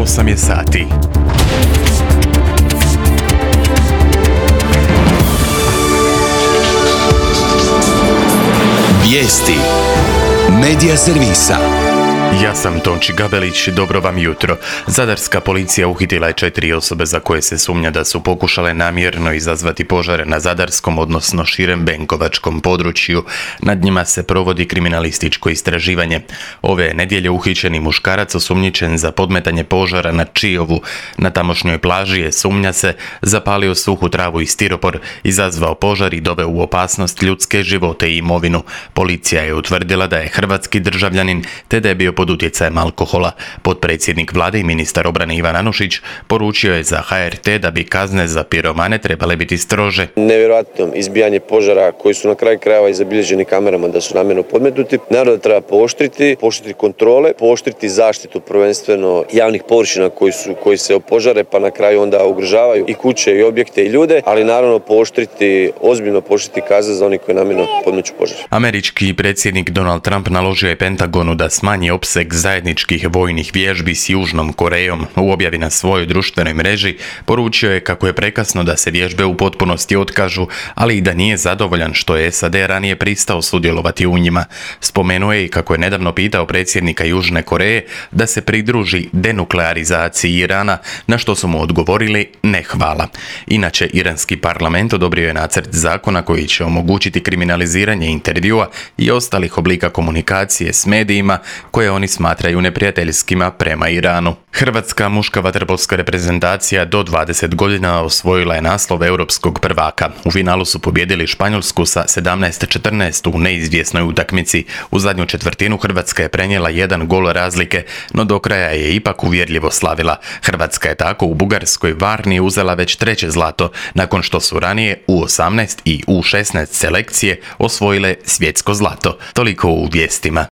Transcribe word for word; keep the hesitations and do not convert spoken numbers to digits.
osam je sati. Vijesti Medija servisa. Ja sam Tonči Gabelić, dobro vam jutro. Zadarska policija uhitila je četiri osobe za koje se sumnja da su pokušale namjerno izazvati požare na zadarskom, odnosno širem benkovačkom području. Nad njima se provodi kriminalističko istraživanje. Ove nedjelje uhićeni muškarac osumnjičen za podmetanje požara na Čijovu. Na tamošnjoj plaži je, sumnja se, zapalio suhu travu i stiropor, izazvao požar i doveo u opasnost ljudske živote i imovinu. Policija je utvrdila da je hrvatski državljanin te da je bio pod utjecajem alkohola. Potpredsjednik vlade i ministar obrane Ivan Anušić poručio je za H R T da bi kazne za piromane trebale biti strože. Nevjerojatno izbijanje požara koji su na kraju krajeva i zabilježeni kamerama da su namjerno podmetnuti. Naravno da treba pooštriti, pooštriti kontrole, pooštriti zaštitu prvenstveno javnih površina koji su koji se opožare pa na kraju onda ugrožavaju i kuće i objekte i ljude, ali naravno pooštriti, ozbiljno pooštriti kazne za oni koji namjerno podmeću požar. Američki predsjednik Donald Trump naložio je Pentagonu da smanji opseg zajedničkih vojnih vježbi s Južnom Korejom. U objavi na svojoj društvenoj mreži poručio je kako je prekasno da se vježbe u potpunosti otkažu, ali i da nije zadovoljan što je S A D ranije pristao sudjelovati u njima. Spomenuo je i kako je nedavno pitao predsjednika Južne Koreje da se pridruži denuklearizaciji Irana, na što su mu odgovorili ne hvala. Inače, iranski parlament odobrio je nacrt zakona koji će omogućiti kriminaliziranje intervjua i ostalih oblika komunikacije s medijima koje oni smatraju neprijateljskima prema Iranu. Hrvatska muška vaterpolska reprezentacija do dvadeset godina osvojila je naslov europskog prvaka. U finalu su pobijedili Španjolsku sa sedamnaest četrnaest u neizvjesnoj utakmici. U zadnju četvrtinu Hrvatska je prenijela jedan gol razlike, no do kraja je ipak uvjerljivo slavila. Hrvatska je tako u Bugarskoj Varni uzela već treće zlato, nakon što su ranije U osamnaest i U šesnaest selekcije osvojile svjetsko zlato. Toliko u vijestima.